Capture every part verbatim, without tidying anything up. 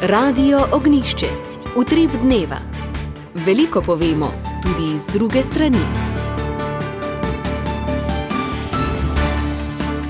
Radio Ognjišče, utrip dneva. Veliko povemo, tudi iz druge strani.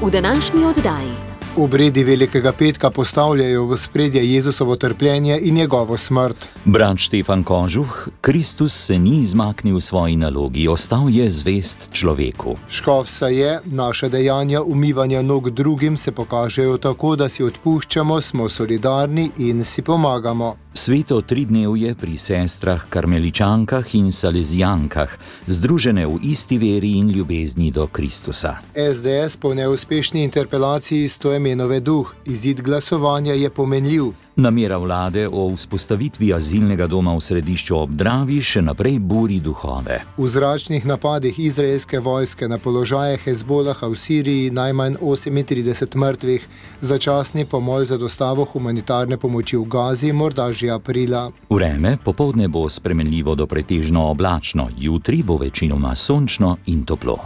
V današnji oddaji. Obredi Velikega petka postavljajo v ospredje Jezusovo trpljenje in njegovo smrt. Brat Štefan Kožuh, Kristus se ni izmaknil svoji nalogi, ostal je zvest človeku. Škof se je, naše dejanja umivanja nog drugim se pokažejo tako, da si odpuščamo, smo solidarni in si pomagamo. Sveto tridnevje pri sestrah karmeličankah in salezijankah, združene v isti veri in ljubezni do Kristusa. es de es po neuspešni interpelaciji Stoimenove duh, izid glasovanja je pomenljiv. Namera vlade o vzpostavitvi azilnega doma v Središču ob Dravi še naprej buri duhove. V zračnih napadih izraelske vojske na položaje Hezbolaha v Siriji najmanj osemintrideset mrtvih, začasni pomol za dostavo humanitarne pomoči v Gazi morda že aprila. Vreme popoldne bo spremenljivo do pretežno oblačno, jutri bo večinoma sončno in toplo.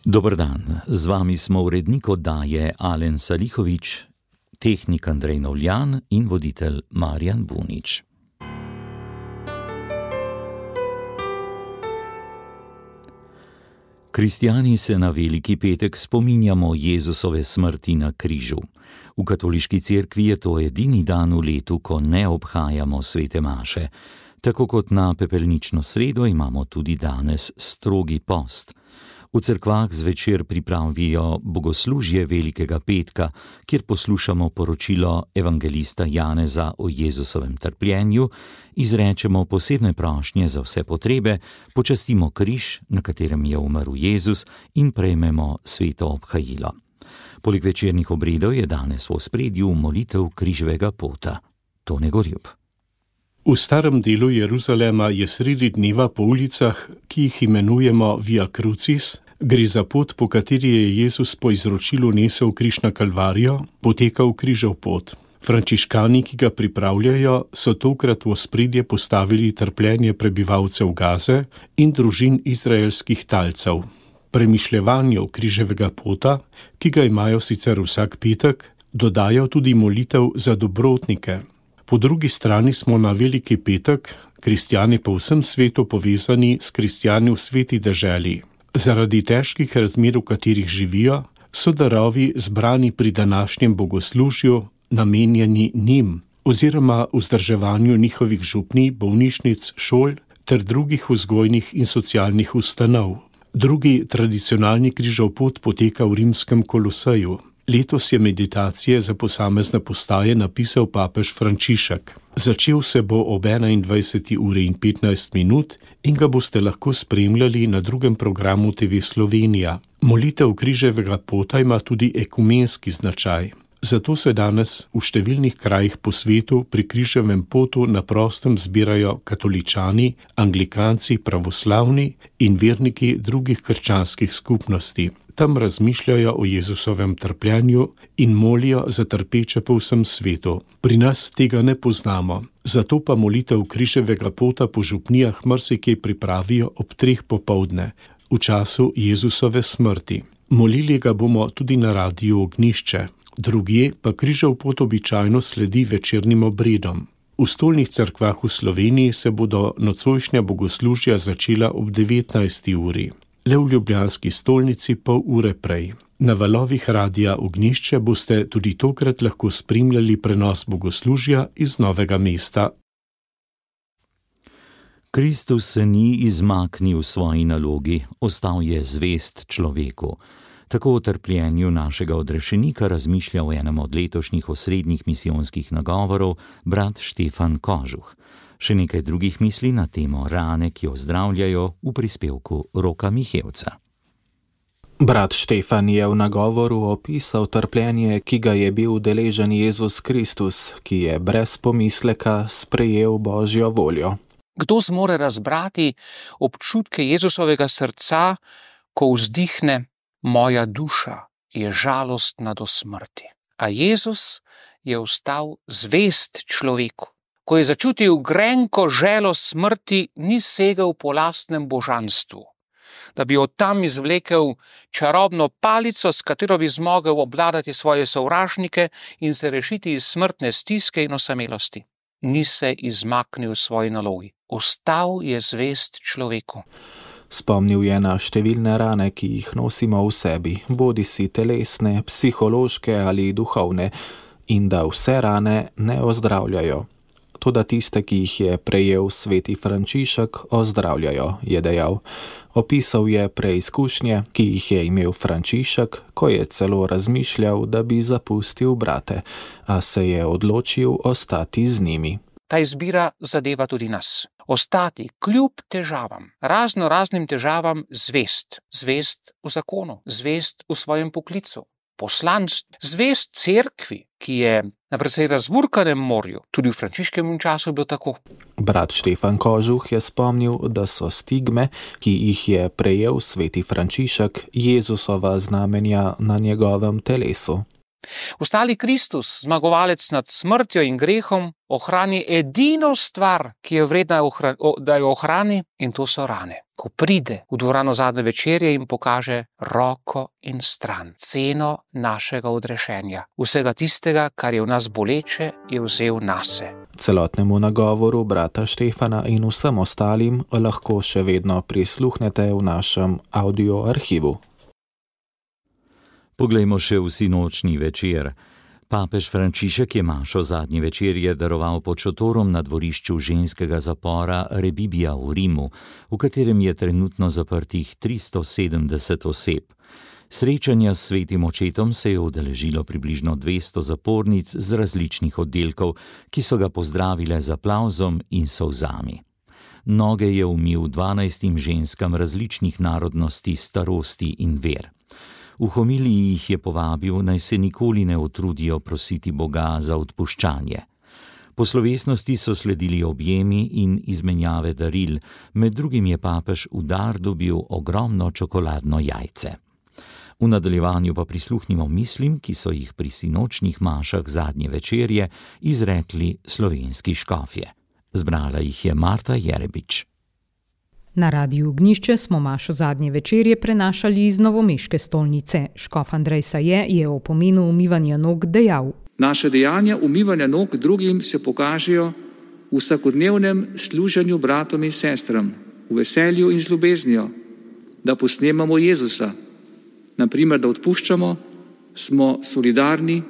Dober dan, z vami smo urednik oddaje Alen Salihovič, tehnik Andrej Novljan in voditelj Marjan Bunič. Kristjani se na Veliki petek spominjamo Jezusove smrti na križu. V katoliški cerkvi je to edini dan v letu, ko ne obhajamo svete maše. Tako kot na pepelnično sredo imamo tudi danes strogi post. V cerkvah zvečer pripravijo bogoslužje Velikega petka, kjer poslušamo poročilo evangelista Janeza o Jezusovem trpljenju, izrečemo posebne prošnje za vse potrebe, počastimo križ, na katerem je umrl Jezus, in prejmemo sveto obhajilo. Poleg večernih obredov je danes v ospredju molitev križevega pota. Tone Gorjup. V starem delu Jeruzalema je sredi dneva po ulicah, ki jih imenujemo Via Crucis, gre za pot, po kateri je Jezus po izročilu nesel križ na Kalvarijo, potekal križev pot. Frančiškani, ki ga pripravljajo, so tokrat v ospredje postavili trpljenje prebivalcev Gaze in družin izraelskih talcev. Premišljevanju križevega pota, ki ga imajo sicer vsak petek, dodajo tudi molitev za dobrotnike. Po drugi strani smo na Veliki petek, kristjani po vsem svetu povezani s kristjani v sveti deželi. Zaradi težkih razmer, v katerih živijo, so darovi zbrani pri današnjem bogoslužju namenjeni njim oziroma vzdrževanju njihovih župnij, bolnišnic, šol ter drugih vzgojnih in socialnih ustanov. Drugi tradicionalni križev pot poteka v rimskem Koloseju. Letos je meditacije za posamezne postaje napisal papež Frančišek. Začel se bo ob enaindvajseti uri in petnajst minut in ga boste lahko spremljali na drugem programu te ve Slovenija. Molitev križevega pota ima tudi ekumenski značaj. Zato se danes v številnih krajih po svetu pri križevem potu na prostem zbirajo katoličani, anglikanci, pravoslavni in verniki drugih krščanskih skupnosti. Tam razmišljajo o Jezusovem trpljenju in molijo za trpeče po vsem svetu. Pri nas tega ne poznamo, zato pa molitev križevega pota po župnijah marsikaj pripravijo ob treh popoldne, v času Jezusove smrti. Molili ga bomo tudi na Radiu Ognjišče. Drugje pa križev pot običajno sledi večernim obredom. V stolnih cerkvah v Sloveniji se bodo nocojšnja bogoslužja začela ob devetnajsti uri. Le v ljubljanski stolnici pol ure prej. Na valovih Radia Ognjišče boste tudi tokrat lahko spremljali prenos bogoslužja iz Novega mesta. Kristus se ni izmaknil svoji nalogi, ostal je zvest človeku. Tako o trpljenju našega odrešenika razmišlja v enem od letošnjih osrednjih misijonskih nagovorov brat Štefan Kožuh. Še nekaj drugih misli na temo rane, ki jo zdravljajo, v prispevku Roka Mihevca. Brat Štefan je v nagovoru opisal trpljenje, ki ga je bil deležen Jezus Kristus, ki je brez pomisleka sprejel Božjo voljo. Kdo zmore razbrati občutke Jezusovega srca, ko vzdihne: moja duša je žalostna do smrti. A Jezus je ostal zvest človeku. Ko je začutil grenko želo smrti, ni segel po lastnem božanstvu. da bi od tam izvlekel čarobno palico, s katero bi zmogel obvladati svoje sovražnike in se rešiti iz smrtne stiske in osamelosti. Ni se izmaknil svoji nalogi. Ostal je zvest človeku. Spomnil je na številne rane, ki jih nosimo v sebi, bodisi telesne, psihološke ali duhovne, in da vse rane ne ozdravljajo. Toda tiste, ki jih je prejel sveti Frančišek, ozdravljajo, je dejal. Opisal je preizkušnje, ki jih je imel Frančišek, ko je celo razmišljal, da bi zapustil brate, a se je odločil ostati z njimi. Ta izbira zadeva tudi nas. Ostati kljub težavam, razno raznim težavam, zvest. Zvest v zakonu, zvest v svojem poklicu, poslanstvu, zvest cerkvi, ki je na precej razburkanem morju. Tudi v Frančiškovem času je bilo tako. Brat Štefan Kožuh je spomnil, da so stigme, ki jih je prejel sveti Frančišek, Jezusova znamenja na njegovem telesu. Ostali Kristus, zmagovalec nad smrtjo in grehom, ohrani edino stvar, ki je vredna, da jo ohrani, in to so rane. Ko pride v dvorano zadnje večerje in pokaže roko in stran, ceno našega odrešenja. Vsega tistega, kar je v nas boleče, je vzel nase. Celotnemu nagovoru brata Štefana in vsem ostalim lahko še vedno prisluhnete v našem audio arhivu. Poglejmo še v sinočni večer. Papež Frančišek je mašo zadnje večerje daroval pod šotorom na dvorišču ženskega zapora Rebibbia v Rimu, v katerem je trenutno zaprtih tristo sedemdeset oseb. Srečanja s svetim očetom se je udeležilo približno dvesto zapornic z različnih oddelkov, ki so ga pozdravile z aplavzom in solzami. Noge je umil dvanajstim ženskam različnih narodnosti, starosti in ver. V homiliji jih je povabil, naj se nikoli ne utrudijo prositi Boga za odpuščanje. Po slovesnosti so sledili objemi in izmenjave daril, med drugim je papež v dar dobil ogromno čokoladno jajce. V nadaljevanju pa prisluhnimo mislim, ki so jih pri sinočnih mašah zadnje večerje izrekli slovenski škofje. Zbrala jih je Marta Jerebič. Na Radiu Ognjišče smo mašo zadnje večerje prenašali iz novomeške stolnice. Škof Andrej Saje je o pomenu umivanja nog dejal. Naše dejanja umivanja nog drugim se pokažejo v vsakodnevnem služenju bratom in sestram, v veselju in z ljubeznijo, da posnemamo Jezusa. Naprimer, da odpuščamo, smo solidarni,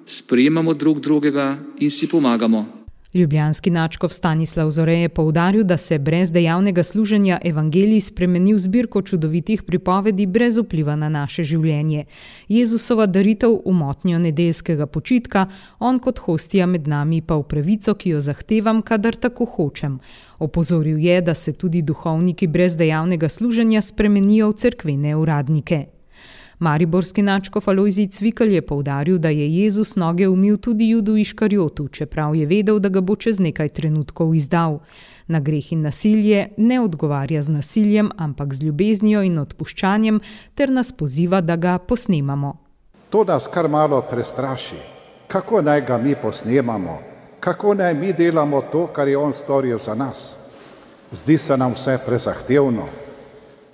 sprejemamo drug drugega in si pomagamo. Ljubljanski nadškof Stanislav Zore je poudaril, da se brez dejavnega služenja evangelij spremeni v zbirko čudovitih pripovedi brez vpliva na naše življenje. Jezusova daritev v motnjo nedeljskega počitka, on kot hostija med nami pa v pravico, ki jo zahtevam, kadar tako hočem. Opozoril je, da se tudi duhovniki brez dejavnega služenja spremenijo v cerkvene uradnike. Mariborski nadškof Alojzij Cvikl je poudaril, da je Jezus noge umil tudi Judu Iškarjotu, čeprav je vedel, da ga bo čez nekaj trenutkov izdal. Na greh in nasilje ne odgovarja z nasiljem, ampak z ljubeznijo in odpuščanjem, ter nas poziva, da ga posnemamo. To nas kar malo prestraši. Kako naj ga mi posnemamo? Kako naj mi delamo to, kar je on storil za nas? Zdi se nam vse prezahtevno.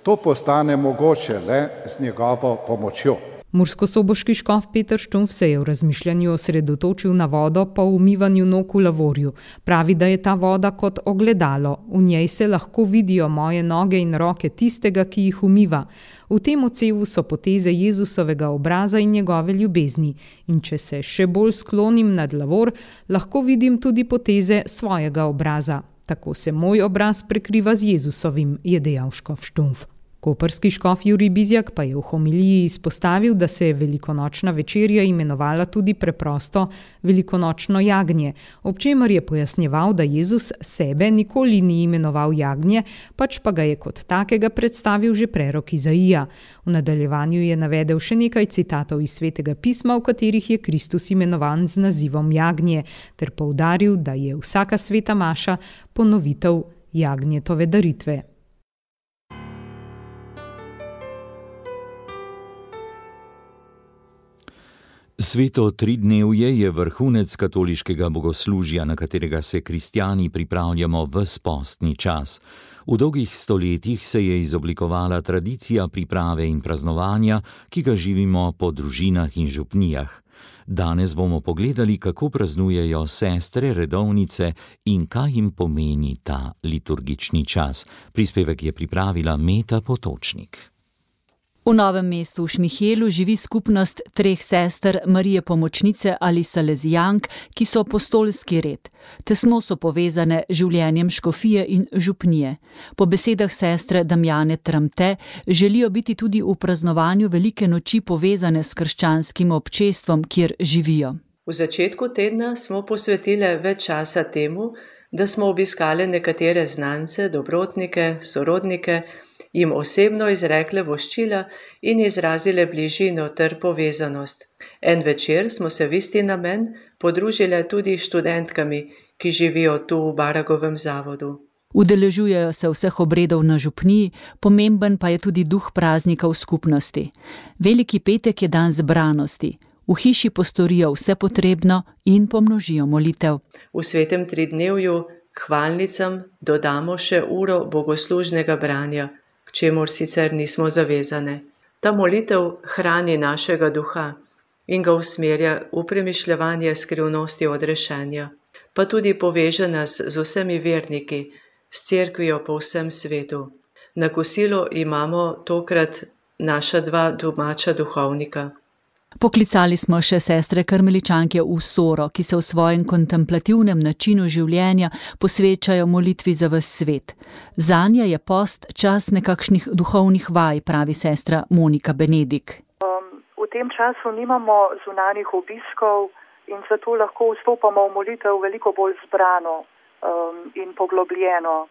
To postane mogoče le z njegovo pomočjo. Murskosoboški škof Peter Štumpf se je v razmišljanju osredotočil na vodo po umivanju nog v lavorju. Pravi, da je ta voda kot ogledalo. V njej se lahko vidijo moje noge in roke tistega, ki jih umiva. V tem odsevu so poteze Jezusovega obraza in njegove ljubezni. In če se še bolj sklonim nad lavor, lahko vidim tudi poteze svojega obraza. Tako se moj obraz prekriva z Jezusovim, je dejal škof Štumpf. Koprski škof Jurij Bizjak pa je v homiliji izpostavil, da se je velikonočna večerja imenovala tudi preprosto velikonočno jagnje, ob čemer je pojasnjeval, da Jezus sebe nikoli ni imenoval jagnje, pač pa ga je kot takega predstavil že prerok Izaija. V nadaljevanju je navedel še nekaj citatov iz svetega pisma, v katerih je Kristus imenovan z nazivom jagnje, ter poudaril, da je vsaka sveta maša ponovitev jagnjetove daritve. Sveto tridnevje je vrhunec katoliškega bogoslužja, na katerega se kristjani pripravljamo ves postni čas. V dolgih stoletjih se je izoblikovala tradicija priprave in praznovanja, ki ga živimo po družinah in župnijah. Danes bomo pogledali, kako praznujejo sestre redovnice in kaj jim pomeni ta liturgični čas. Prispevek je pripravila Meta Potočnik. V Novem mestu v Šmihelu živi skupnost treh sester Marije Pomočnice ali Salezijank, ki so apostolski red. Tesno so povezane življenjem škofije in župnije. Po besedah sestre Damjane Tramte želijo biti tudi v praznovanju velike noči povezane s krščanskim občestvom, kjer živijo. V začetku tedna smo posvetile več časa temu, da smo obiskali nekatere znance, dobrotnike, sorodnike, jim osebno izrekle voščila in izrazile bližino ter povezanost. En večer smo se v isti namen podružile tudi študentkami, ki živijo tu v Baragovem zavodu. Udeležujejo se vseh obredov na župniji, pomemben pa je tudi duh praznika v skupnosti. Veliki petek je dan zbranosti. V hiši postorijo vse potrebno in pomnožijo molitev. V svetem tridnevju k hvalnicam dodamo še uro bogoslužnega branja, k čemur sicer nismo zavezane. Ta molitev hrani našega duha in ga usmerja v premišljevanje skrivnosti odrešenja, pa tudi poveže nas z vsemi verniki, s cerkvijo po vsem svetu. Na kosilu imamo tokrat naša dva domača duhovnika. Poklicali smo še sestre karmeličanke v Soro, ki se v svojem kontemplativnem načinu življenja posvečajo molitvi za ves svet. Zanje je post čas nekakšnih duhovnih vaj, pravi sestra Monika Benedik. Um, v tem času nimamo zunanjih obiskov in zato lahko vstopamo v molitev veliko bolj zbrano um, in poglobljeno.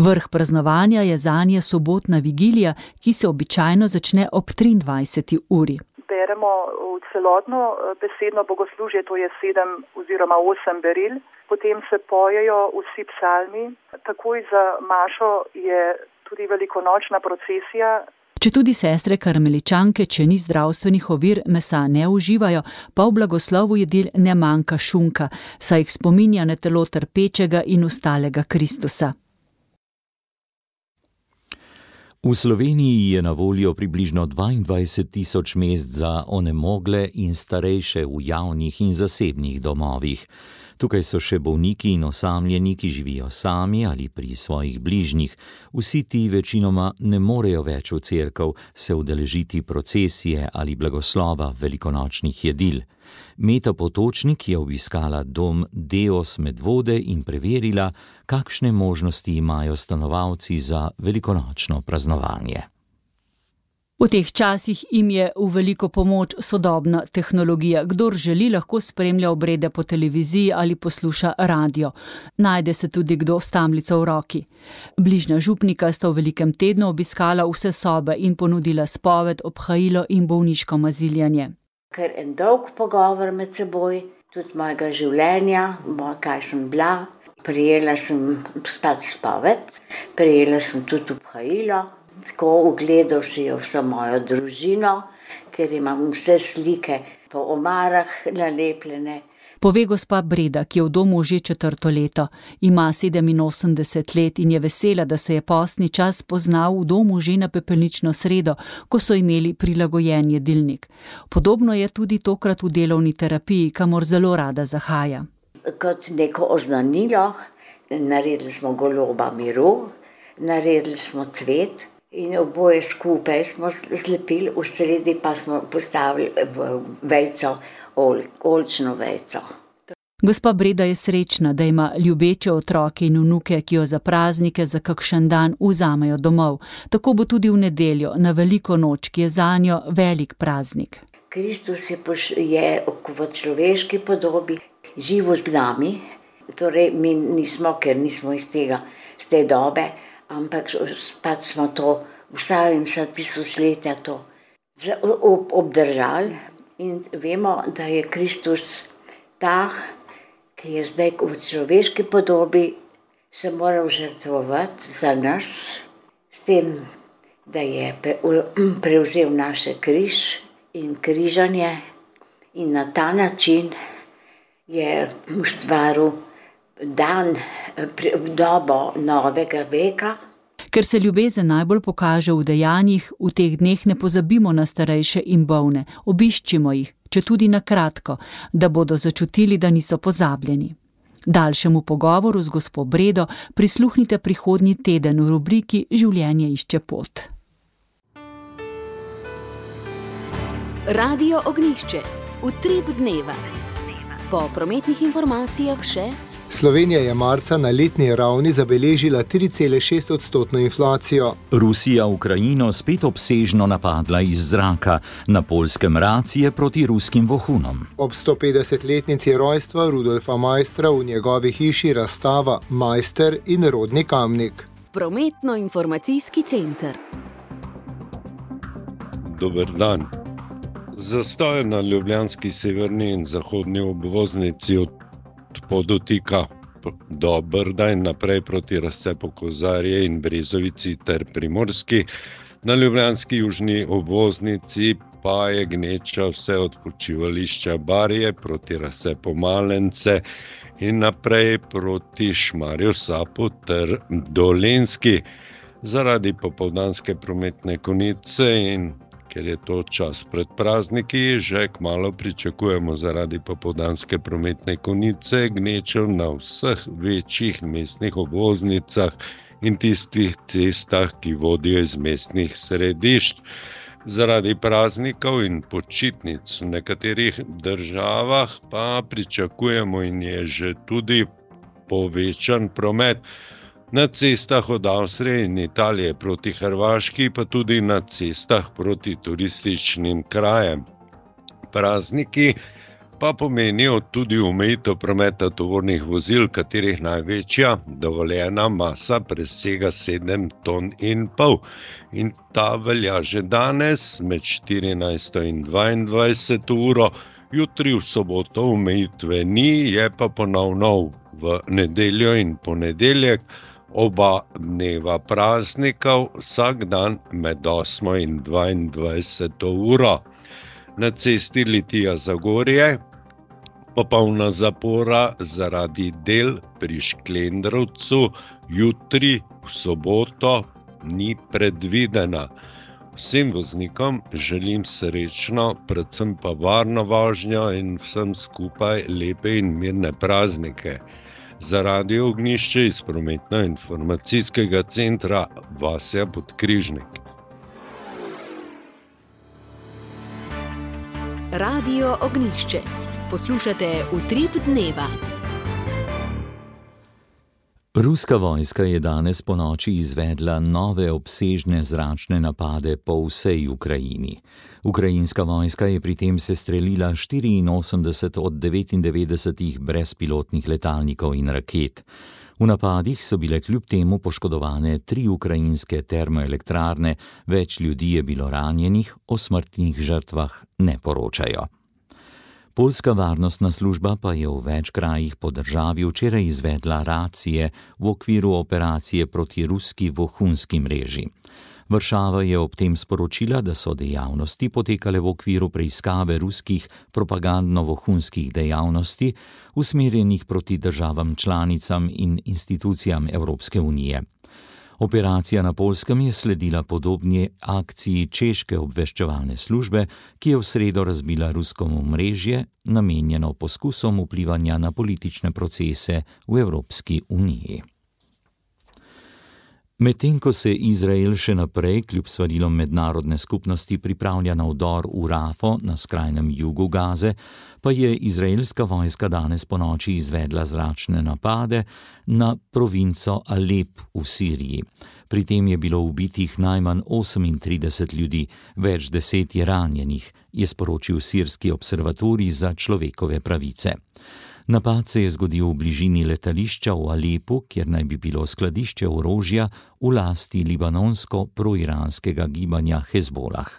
Vrh praznovanja je zanje sobotna vigilija, ki se običajno začne ob triindvajseti uri. Beremo v celotno besedno bogoslužje, to je sedem oziroma osem beril, potem se pojejo vsi psalmi, takoj za mašo je tudi velikonočna procesija. Če tudi sestre karmeličanke, če ni zdravstvenih ovir, mesa ne uživajo, pa v blagoslovu jedil ne manjka šunka, saj jih spominja na telo trpečega in ustalega Kristusa. V Sloveniji je na voljo približno dvaindvajset tisoč mest za onemogle in starejše v javnih in zasebnih domovih. Tukaj so še bolniki in osamljeni, ki živijo sami ali pri svojih bližnjih. Vsi ti večinoma ne morejo več v cerkev se udeležiti procesije ali blagoslova velikonočnih jedil. Meta Potočnik je obiskala dom Deos Medvode in preverila, kakšne možnosti imajo stanovalci za velikonočno praznovanje. V teh časih jim je v veliko pomoč sodobna tehnologija. Kdor želi, lahko spremlja obrede po televiziji ali posluša radio. Najde se tudi kdo s tamlico v roki. Bližnja župnika sta v velikem tednu obiskala vse sobe in ponudila spoved, obhajilo in bolniško maziljanje. Ker en dolg pogovor med seboj, tudi mojega življenja, moj, kaj sem bila. Prijela sem spet spoved, prijela sem tudi obhajilo. Tako ugledal si jo vso mojo družino, ker imam vse slike po omarah nalepljene. Pove gospa Breda, ki je v domu že četrto leto. Ima sedeminosemdeset let in je vesela, da se je postni čas poznal v domu že na pepelnično sredo, ko so imeli prilagojen jedilnik. Podobno je tudi tokrat v delovni terapiji, kamor zelo rada zahaja. Kot neko oznanilo, naredili smo goloba miru, naredili smo cvet in oboje skupaj smo zlepili, v sredi pa smo postavili vejco, ol, olčno vejco. Gospa Breda je srečna, da ima ljubeče otroke in vnuke, ki jo za praznike za kakšen dan vzamejo domov. Tako bo tudi v nedeljo, na veliko noč, ki je zanjo velik praznik. Kristus je, poš, je v človeški podobi živo z nami, torej mi nismo, ker nismo iz tega, z te dobe, ampak pač smo to vsaj vsa tisočletja to obdržali in vemo, da je Kristus ta, ki je zdaj v človeški podobi se moral žrtvovati za nas, s tem, da je prevzel naše križ in križanje In na ta način je ustvaril dan v dobo novega veka. Ker se ljubezen najbolj pokaže v dejanjih, v teh dneh ne pozabimo na starejše in bolne, obiščimo jih, če tudi na kratko, da bodo začutili, da niso pozabljeni. Daljšemu pogovoru z gospo Bredo prisluhnite prihodnji teden v rubriki Življenje išče pot. Radio Ognjišče, utrip dneva. Po prometnih informacijah še: Slovenija je marca na letni ravni zabeležila tri cele šest odstotno inflacijo. Rusija Ukrajino spet obsežno napadla iz zraka, na Poljskem racije proti ruskim vohunom. Ob sto petdesetletnici rojstva Rudolfa Maistra v njegovi hiši razstava Maister in rodni Kamnik. Prometno-informacijski center. Dober dan. Zastoj na ljubljanski severni in zahodni obvoznici od Podotika do Brda in naprej proti razcepu Kozarje in Brezovici ter Primorski. Na ljubljanski južni obvoznici pa je gneča vse od počivališča Barje proti razcepu Malence in naprej proti Šmarju Sapu ter Dolenjski. Zaradi popoldanske prometne konice in ker je to čas pred prazniki, že kmalu pričakujemo zaradi popoldanske prometne konice gnečev na vseh večjih mestnih obvoznicah in tistih cestah, ki vodijo iz mestnih središč. Zaradi praznikov in počitnic v nekaterih državah pa pričakujemo in je že tudi povečan promet na cestah od Avstrije in Italije proti Hrvaški, pa tudi na cestah proti turističnim krajem. Prazniki pa pomenijo tudi omejitev prometa tovornih vozil, katerih največja dovoljena masa presega sedem ton in pol. In ta velja že danes med štirinajsto in dvaindvajseto uro, jutri v soboto omejitve ni, je pa ponovno v nedeljo in ponedeljek, oba dneva praznikov, vsak dan med osmo in dvaindvajseto uro. Na cesti Litija-Zagorje popolna zapora zaradi del pri Šklendrovcu jutri v soboto ni predvidena. Vsem voznikom želim srečno, predvsem pa varno vožnjo in vsem skupaj lepe in mirne praznike. Za Radio Ognjišče iz prometno-informacijskega centra Vasja Podkrižnik. Radio Ognjišče. Poslušate Utrip dneva. Ruska vojska je danes ponoči izvedla nove obsežne zračne napade po vsej Ukrajini. Ukrajinska vojska je pri tem sestrelila štiriinosemdeset od devetindevetdesetih brezpilotnih letalnikov in raket. V napadih so bile kljub temu poškodovane tri ukrajinske termoelektrarne, več ljudi je bilo ranjenih, o smrtnih žrtvah ne poročajo. Poljska varnostna služba pa je v več krajih po državi včeraj izvedla racije v okviru operacije proti ruski vohunski mreži. Varšava je ob tem sporočila, da so dejavnosti potekale v okviru preiskave ruskih propagandno-vohunskih dejavnosti, usmerjenih proti državam članicam in institucijam Evropske unije. Operacija na Poljskem je sledila podobni akciji češke obveščevalne službe, ki je v sredo razbila rusko omrežje, namenjeno poskusom vplivanja na politične procese v Evropski uniji. Medtem ko se Izrael še naprej, kljub svarilom mednarodne skupnosti, pripravlja na vdor v Rafo na skrajnem jugu Gaze, pa je izraelska vojska danes ponoči izvedla zračne napade na provinco Alep v Siriji. Pri tem je bilo ubitih najmanj osemintrideset ljudi, več deset je ranjenih, je sporočil sirski observatorij za človekove pravice. Napad se je zgodil v bližini letališča v Alepu, kjer naj bi bilo skladišče orožja v lasti libanonsko-proiranskega gibanja Hezbolah.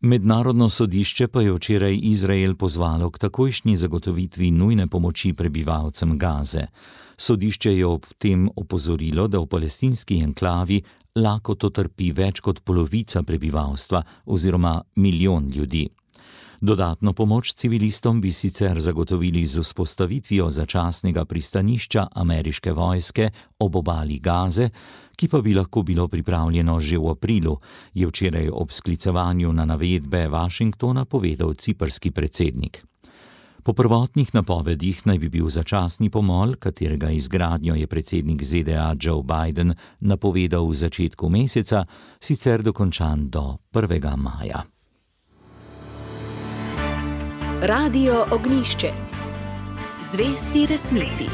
Mednarodno sodišče pa je včeraj Izrael pozvalo k takojšnji zagotovitvi nujne pomoči prebivalcem Gaze. Sodišče je ob tem opozorilo, da v palestinski enklavi lakoto trpi več kot polovica prebivalstva oziroma milijon ljudi. Dodatno pomoč civilistom bi sicer zagotovili z vzpostavitvijo začasnega pristanišča ameriške vojske ob obali Gaze, ki pa bi lahko bilo pripravljeno že v aprilu, je včeraj ob sklicevanju na navedbe Washingtona povedal ciprski predsednik. Po prvotnih napovedih naj bi bil začasni pomol, katerega izgradnjo je predsednik Z D A Joe Biden napovedal v začetku meseca, sicer dokončan do prvega maja. Radio Ognjišče. Zvesti resnici.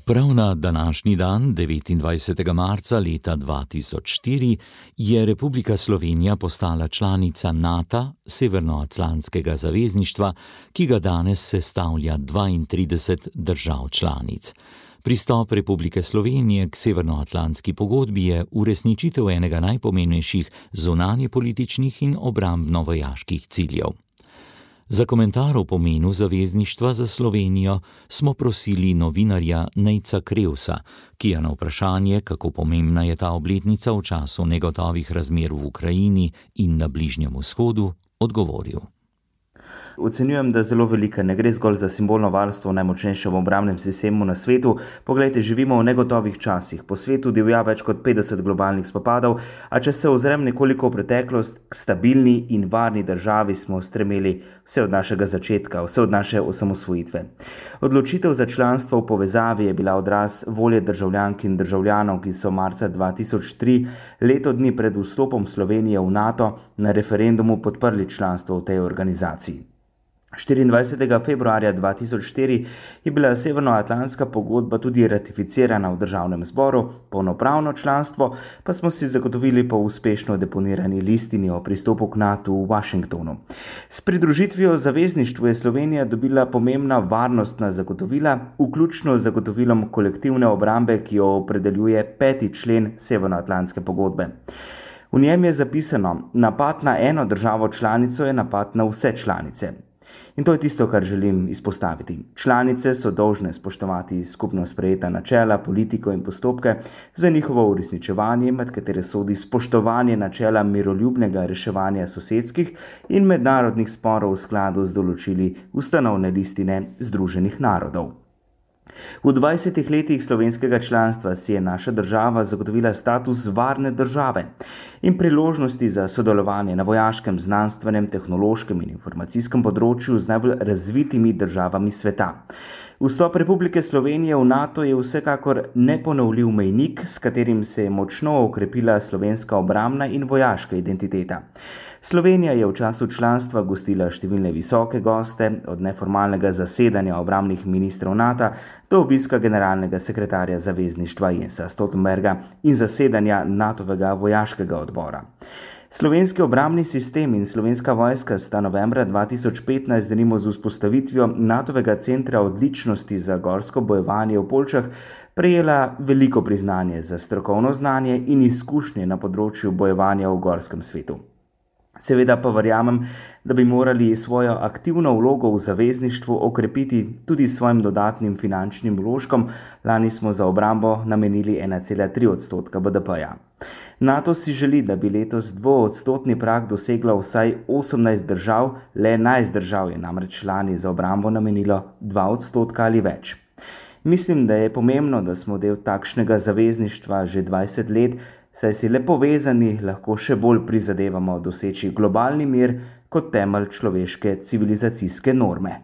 Prav na današnji dan, devetindvajsetega marca leta dva tisoč štiri, je Republika Slovenija postala članica NATO, Severnoatlantskega zavezništva, ki ga danes sestavlja dvaintrideset držav članic. Pristop Republike Slovenije k Severnoatlantski pogodbi je uresničitev enega najpomembnejših zunanjepolitičnih in obrambno-vojaških ciljev. Za komentar o pomenu zavezništva za Slovenijo smo prosili novinarja Nejca Krevsa, ki je na vprašanje, kako pomembna je ta obletnica v času negotovih razmer v Ukrajini in na Bližnjem vzhodu, odgovoril. Ocenjujem, da zelo velika, ne gre zgolj za simbolno varstvo v najmočnejšem obrambnem sistemu na svetu. Poglejte, živimo v negotovih časih. Po svetu divja več kot petdeset globalnih spopadov, a če se ozrem nekoliko v preteklost, k stabilni in varni državi smo stremeli vse od našega začetka, vse od naše osamosvojitve. Odločitev za članstvo v povezavi je bila odraz volje državljank in državljanov, ki so marca dva tisoč tri, leto dni pred vstopom Slovenije v NATO, na referendumu podprli članstvo v tej organizaciji. štiriindvajsetega februarja dva tisoč štiri je bila Severnoatlantska pogodba tudi ratificirana v državnem zboru, polnopravno članstvo pa smo si zagotovili po uspešno deponirani listini o pristopu k NATO v Washingtonu. S pridružitvijo zavezništvu je Slovenija dobila pomembna varnostna zagotovila, vključno z zagotovilom kolektivne obrambe, ki jo opredeljuje peti člen Severnoatlantske pogodbe. V njem je zapisano: napad na eno državo članico je napad na vse članice. In to je tisto, kar želim izpostaviti. Članice so dolžne spoštovati skupno sprejeta načela, politiko in postopke za njihovo uresničevanje, med katere sodi spoštovanje načela miroljubnega reševanja sosedskih in mednarodnih sporov v skladu z določili ustanovne listine Združenih narodov. V dvajsetih letih slovenskega članstva si je naša država zagotovila status varne države in priložnosti za sodelovanje na vojaškem, znanstvenem, tehnološkem in informacijskem področju z najbolj razvitimi državami sveta. Vstop Republike Slovenije v NATO je vsekakor neponovljiv mejnik, s katerim se je močno okrepila slovenska obrambna in vojaška identiteta. Slovenija je v času članstva gostila številne visoke goste, od neformalnega zasedanja obrambnih ministrov NATO do obiska generalnega sekretarja zavezništva Jensa Stoltenberga in zasedanja NATOvega vojaškega odbora. Slovenski obrambni sistem in slovenska vojska sta novembra dva tisoč petnajst denimo z vzpostavitvijo NATOvega centra odličnosti za gorsko bojevanje v Poljčah prejela veliko priznanje za strokovno znanje in izkušnje na področju bojevanja v gorskem svetu. Seveda pa verjamem, da bi morali svojo aktivno vlogo v zavezništvu okrepiti tudi s svojim dodatnim finančnim vložkom. Lani smo za obrambo namenili ena cela tri odstotka B D P-ja. NATO si želi, da bi letos dvoodstotni prag doseglo vsaj osemnajst držav, le enajst držav je namreč lani za obrambo namenilo dva odstotka ali več. Mislim, da je pomembno, da smo del takšnega zavezništva že dvajset let, saj si le povezani lahko še bolj prizadevamo doseči globalni mir kot temelj človeške civilizacijske norme.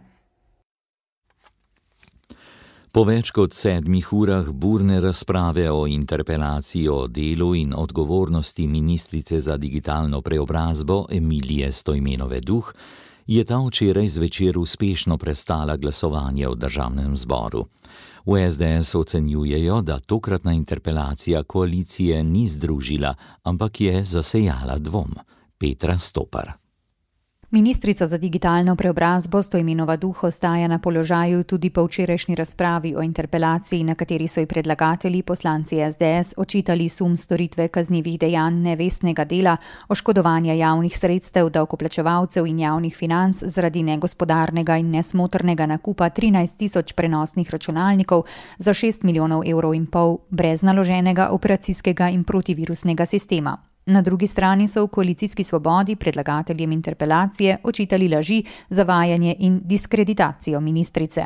Po več kot sedmih urah burne razprave o interpelaciji o delu in odgovornosti ministrice za digitalno preobrazbo Emilije Stojmenove Duh, je ta včeraj zvečer uspešno prestala glasovanje v državnem zboru. V S D S ocenjujejo, da tokratna interpelacija koalicije ni združila, ampak je zasejala dvom. Petra Stopar. Ministrica za digitalno preobrazbo Stojmenova Duh ostaja na položaju tudi po včerajšnji razpravi o interpelaciji, na kateri so ji predlagatelji, poslanci S D S, očitali sum storitve kaznivih dejanj nevestnega dela, oškodovanja javnih sredstev, davkoplačevalcev in javnih financ zaradi negospodarnega in nesmotrnega nakupa trinajst tisoč prenosnih računalnikov za šest milijonov evrov in pol brez naloženega operacijskega in protivirusnega sistema. Na drugi strani so v koalicijski Svobodi predlagateljem interpelacije očitali laži, zavajanje in diskreditacijo ministrice.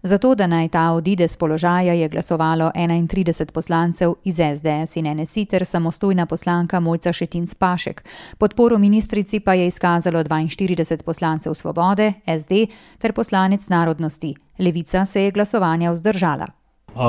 Zato, da naj ta odide z položaja, je glasovalo enaintrideset poslancev iz es de es in en es i ter samostojna poslanka Mojca Šetinc Pašek. Podporo ministrici pa je izkazalo dvainštirideset poslancev Svobode, es de ter poslanec Narodnosti. Levica se je glasovanja vzdržala.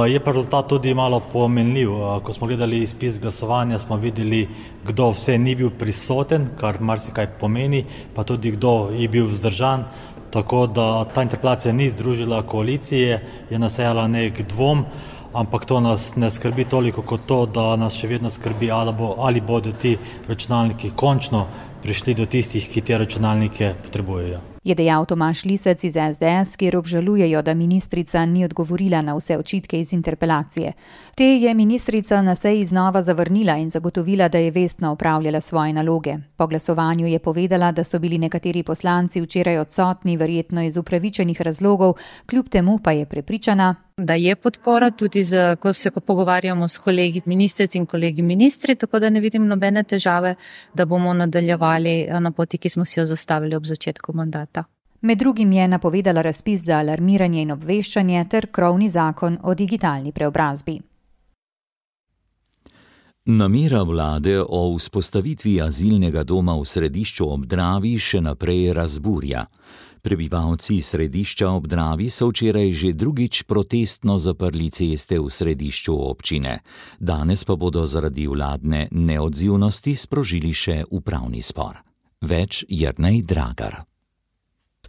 Je pa rezultat tudi malo pomenljiv. Ko smo gledali izpis glasovanja, smo videli, kdo vse ni bil prisoten, kar marsikaj pomeni, pa tudi kdo je bil vzdržan. Tako da ta interpelacija ni združila koalicije, je nasejala nek dvom, ampak to nas ne skrbi toliko kot to, da nas še vedno skrbi, ali, bo, ali bodo ti računalniki končno prišli do tistih, ki te računalnike potrebujejo. Je dejal Tomaž Lisec iz es de es, kjer obžalujejo, da ministrica ni odgovorila na vse očitke iz interpelacije. Te je ministrica na seji znova zavrnila in zagotovila, da je vestno opravljala svoje naloge. Po glasovanju je povedala, da so bili nekateri poslanci včeraj odsotni, verjetno iz upravičenih razlogov, kljub temu pa je prepričana, da je podpora tudi, z, ko se pogovarjamo s kolegi ministric in kolegi ministri, tako da ne vidim nobene težave, da bomo nadaljevali na poti, ki smo si jo zastavili ob začetku mandata. Med drugim je napovedala razpis za alarmiranje in obveščanje ter krovni zakon o digitalni preobrazbi. Namera vlade o vzpostavitvi azilnega doma v Središču ob Dravi še naprej razburja. Prebivalci Središča ob Dravi so včeraj že drugič protestno zaprli ceste v središču občine. Danes pa bodo zaradi vladne neodzivnosti sprožili še upravni spor. Več Jernej Dragar.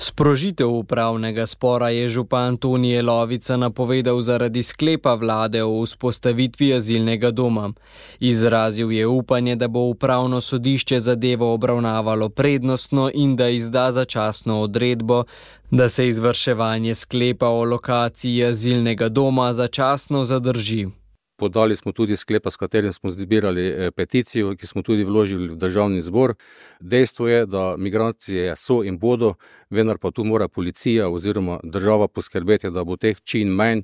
Sprožitev upravnega spora je župan Tonije Lovica napovedal zaradi sklepa vlade o vzpostavitvi azilnega doma. Izrazil je upanje, da bo upravno sodišče zadevo obravnavalo prednostno in da izda začasno odredbo, da se izvrševanje sklepa o lokaciji azilnega doma začasno zadrži. Podali smo tudi sklepa, s katerim smo zbirali peticijo, ki smo tudi vložili v državni zbor. Dejstvo je, da migracije so in bodo, vendar pa tu mora policija oziroma država poskrbeti, da bo teh čim manj.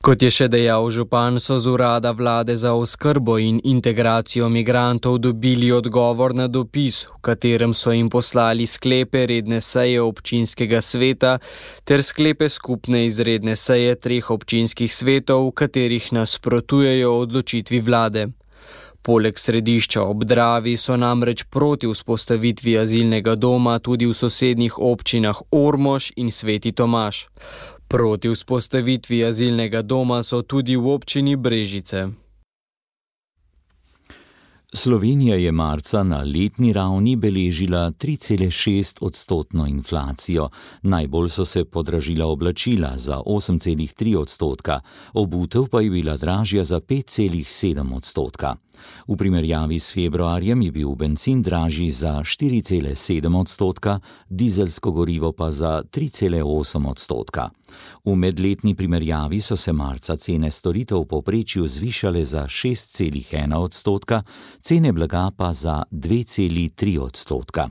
Kot je še dejal župan, so z urada vlade za oskrbo in integracijo migrantov dobili odgovor na dopis, v katerem so jim poslali sklepe redne seje občinskega sveta ter sklepe skupne izredne seje treh občinskih svetov, v katerih nasprotujejo odločitvi vlade. Poleg Središča ob Dravi so namreč proti vzpostavitvi azilnega doma tudi v sosednjih občinah Ormož in Sveti Tomaž. Proti vzpostavitvi azilnega doma so tudi v občini Brežice. Slovenija je marca na letni ravni beležila tri cele šest odstotno inflacijo. Najbolj so se podražila oblačila za osem cele tri odstotka, obutev pa je bila dražja za pet cele sedem odstotka. V primerjavi s februarjem je bil bencin dražji za štiri cele sedem odstotka, dizelsko gorivo pa za tri cele osem odstotka. V medletni primerjavi so se marca cene storitev v povprečju zvišale za šest cele ena odstotka, cene blaga pa za dve cele tri odstotka.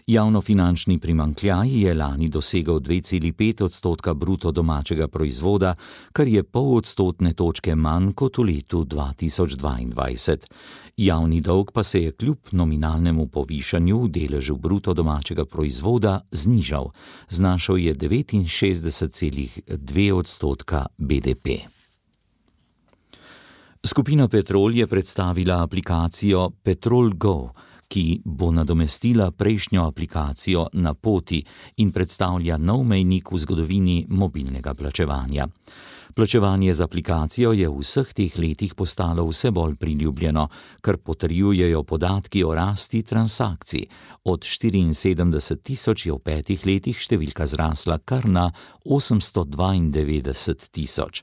Javnofinančni primanjkljaj je lani dosegel dve cele pet odstotka bruto domačega proizvoda, kar je pol odstotne točke manj kot v letu dva tisoč dvaindvajset. Javni dolg pa se je kljub nominalnemu povišanju v deležu bruto domačega proizvoda znižal. Znašal je devetinšestdeset cele dve odstotka be de pe. Skupina Petrol je predstavila aplikacijo Petrol Go, ki bo nadomestila prejšnjo aplikacijo Na poti in predstavlja nov mejnik v zgodovini mobilnega plačevanja. Plačevanje z aplikacijo je v vseh teh letih postalo vse bolj priljubljeno, kar potrjujejo podatki o rasti transakcij. Od štiriinsedemdeset tisoč je v petih letih številka zrasla kar na osemsto dvaindevetdeset tisoč.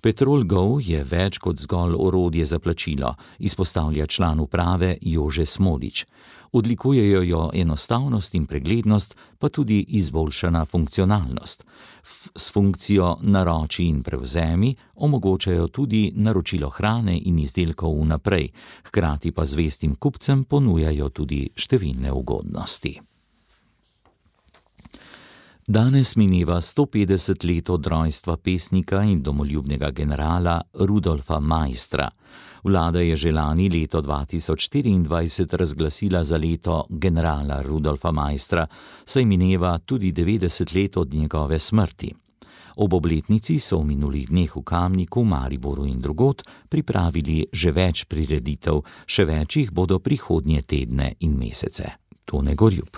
Petrol Go je več kot zgolj orodje za plačilo, izpostavlja član uprave Jože Smolič. Odlikujejo jo enostavnost in preglednost, pa tudi izboljšana funkcionalnost. S funkcijo naroči in prevzemi omogočajo tudi naročilo hrane in izdelkov vnaprej, hkrati pa zvestim kupcem ponujajo tudi številne ugodnosti. Danes mineva sto petdeset let od rojstva pesnika in domoljubnega generala Rudolfa Maistra. Vlada je že lani leto dva tisoč štiriindvajset razglasila za leto generala Rudolfa Maistra, saj mineva tudi devetdeset let od njegove smrti. Ob obletnici so v minulih dneh v Kamniku, Mariboru in drugod pripravili že več prireditev, še več jih bodo prihodnje tedne in mesece. Tone Gorjup.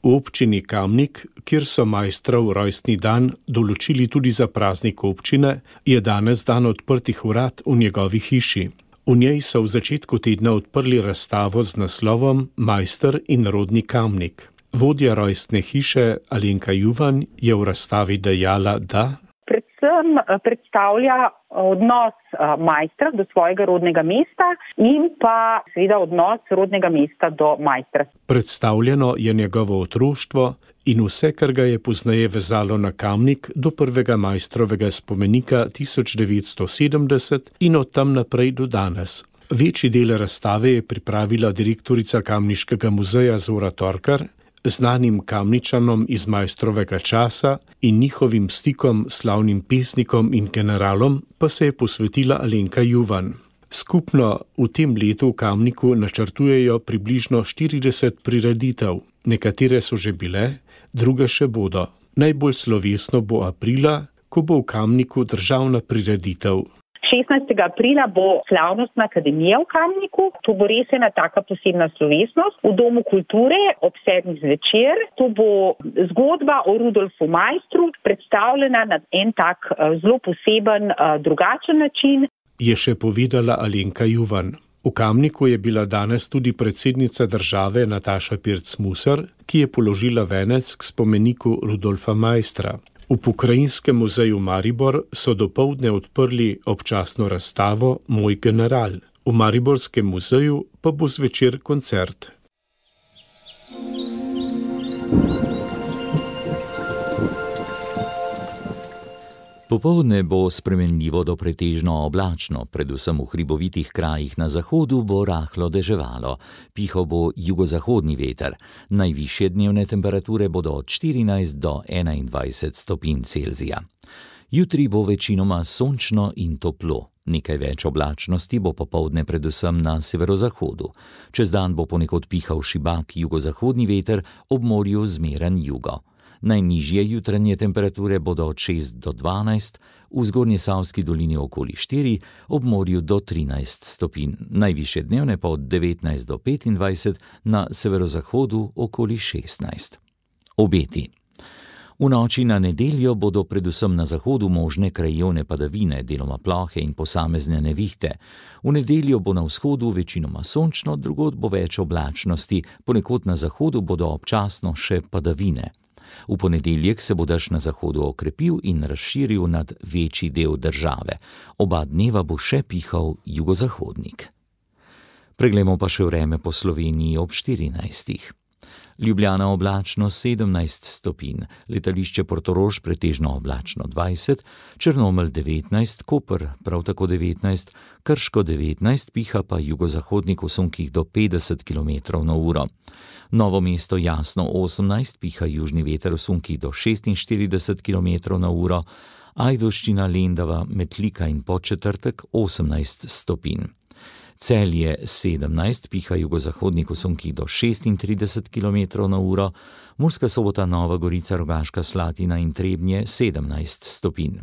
V občini Kamnik, kjer so Maistrov rojstni dan določili tudi za praznik občine, je danes dan odprtih vrat v njegovi hiši. V njej so v začetku tedna odprli razstavo z naslovom Maister in rodni Kamnik. Vodja rojstne hiše Alenka Juvan je v razstavi dejala, da predvsem predstavlja odnos Maistra do svojega rodnega mesta in pa seveda odnos rodnega mesta do Maistra. Predstavljeno je njegovo otroštvo in vse, kar ga je pozneje vezalo na Kamnik do prvega Maistrovega spomenika tisoč devetsto sedemdeset in od tam naprej do danes. Večji del razstave je pripravila direktorica Kamniškega muzeja Zora Torkar, znanim Kamničanom iz Maistrovega časa in njihovim stikom s slavnim pesnikom in generalom pa se je posvetila Alenka Juvan. Skupno v tem letu v Kamniku načrtujejo približno štirideset prireditev. Nekatere so že bile, druge še bodo. Najbolj slovesno bo aprila, ko bo v Kamniku državna prireditev. šestnajstega aprila bo slavnostna akademija v Kamniku. To bo res ena taka posebna slovesnost v Domu kulture ob sedmih zvečer. To bo zgodba o Rudolfu Maistru predstavljena na en tak zelo poseben, drugačen način. Je še povedala Alenka Juvan. V Kamniku je bila danes tudi predsednica države Nataša Pirc Musar, ki je položila venec k spomeniku Rudolfa Maistra. V Pokrajinskem muzeju Maribor so dopoldne odprli občasno razstavo Moj general. V Mariborskem muzeju pa bo zvečer koncert. Popoldne bo spremenljivo do pretežno oblačno, predvsem v hribovitih krajih na zahodu bo rahlo deževalo. Pihal bo jugozahodni veter. Najvišje dnevne temperature bodo od štirinajst do enaindvajset stopinj Celzija. Jutri bo večinoma sončno in toplo. Nekaj več oblačnosti bo popoldne predvsem na severozahodu. Čez dan bo ponekod pihal šibak jugozahodni veter, ob morju zmeren jugo. Najnižje jutranje temperature bodo od šest do dvanajst, v Zgornjesavski dolini okoli štiri, ob morju do trinajst stopinj, najvišje dnevne pa od devetnajst do petindvajset, na severozahodu okoli šestnajst. Obeti. V noči na nedeljo bodo predvsem na zahodu možne krajevne padavine, deloma plohe in posamezne nevihte. V nedeljo bo na vzhodu večinoma sončno, drugod bo več oblačnosti, ponekod na zahodu bodo občasno še padavine. V ponedeljek se bo dež na zahodu okrepil in razširil nad večji del države. Oba dneva bo še pihal jugozahodnik. Preglejmo pa še vreme po Sloveniji ob štirinajstih. Ljubljana oblačno sedemnajst stopinj, letališče Portorož pretežno oblačno dvajset, Črnomelj devetnajst, Koper prav tako devetnajst, Krško devetnajst, piha pa jugozahodnik v sunkih do petdeset kilometrov na uro. Novo mesto jasno osemnajst, piha južni veter v sunkih do šestinštirideset kilometrov na uro, Ajdovščina, Lendava, Metlika in Podčetrtek osemnajst stopinj. Celje sedemnajst, piha jugozahodnik v sunkih do šestintrideset kilometrov na uro, Murska Sobota, Nova Gorica, Rogaška Slatina in Trebnje sedemnajst stopinj.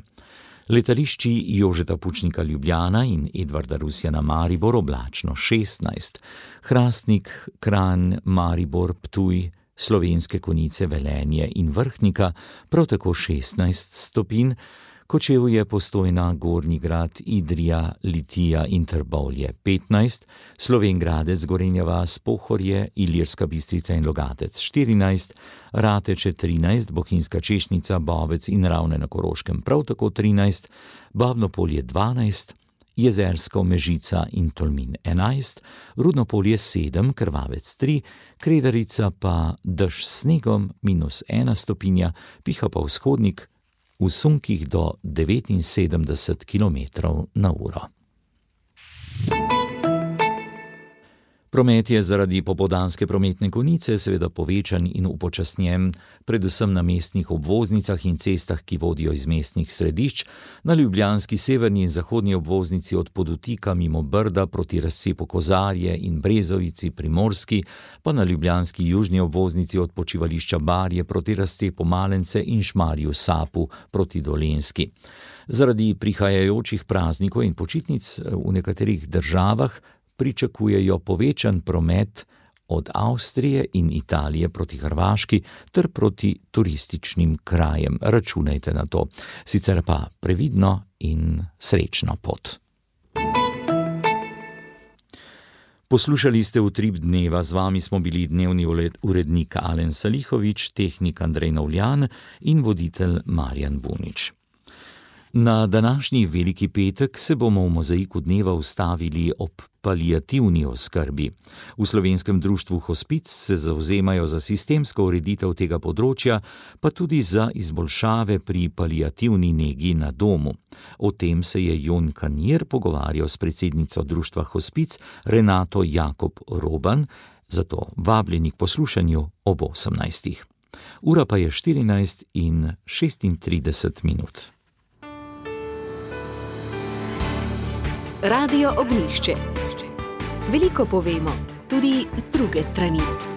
Letališči Jožeta Pučnika Ljubljana in Edvarda Rusjana Maribor oblačno šestnajst, Hrastnik, Kranj, Maribor, Ptuj, Slovenske Konjice, Velenje in Vrhnika prav tako šestnajst stopinj, Kočevje, Postojna, Gornji Grad, Idrija, Litija in Trbovlje petnajst, Slovenj Gradec, Gorenja vas, Pohorje, Ilirska Bistrica in Logatec štirinajst, Rateče trinajst, Bohinjska Češnica, Bovec in Ravne na Koroškem prav tako trinajst, Babno Polje dvanajst, Jezersko, Mežica in Tolmin enajst, Rudno Polje sedem, Krvavec tri, Kredarica pa dež s snegom minus ena stopinja, piha pa vzhodnik v sunkih do devetinsedemdeset kilometrov na uro. Promet je zaradi popoldanske prometne konice seveda povečan in upočasnjen, predvsem na mestnih obvoznicah in cestah, ki vodijo iz mestnih središč, na ljubljanski severni in zahodni obvoznici od Podutika mimo Brda proti razcepu Kozarje in Brezovici Primorski, pa na ljubljanski južni obvoznici od počivališča Barje proti razcepu Malence in Šmarju Sapu proti Dolenjski. Zaradi prihajajočih praznikov in počitnic v nekaterih državah pričakujejo povečan promet od Avstrije in Italije proti Hrvaški ter proti turističnim krajem. Računajte na to. Sicer pa previdno in srečno pot. Poslušali ste Utrip dneva, z vami smo bili dnevni urednik Alen Salihovič, tehnik Andrej Novljan in voditelj Marjan Bunič. Na današnji Veliki petek se bomo v mozaiku dneva ustavili ob paliativni oskrbi. V Slovenskem društvu Hospic se zavzemajo za sistemsko ureditev tega področja, pa tudi za izboljšave pri paliativni negi na domu. O tem se je Jon Kanjer pogovarjal s predsednico društva Hospic Renato Jakob Roban, zato vabljeni k poslušanju ob osemnajstih. Ura pa je štirinajst in šestintrideset minut. Radio Ognjišče. Veliko povemo, tudi z druge strani.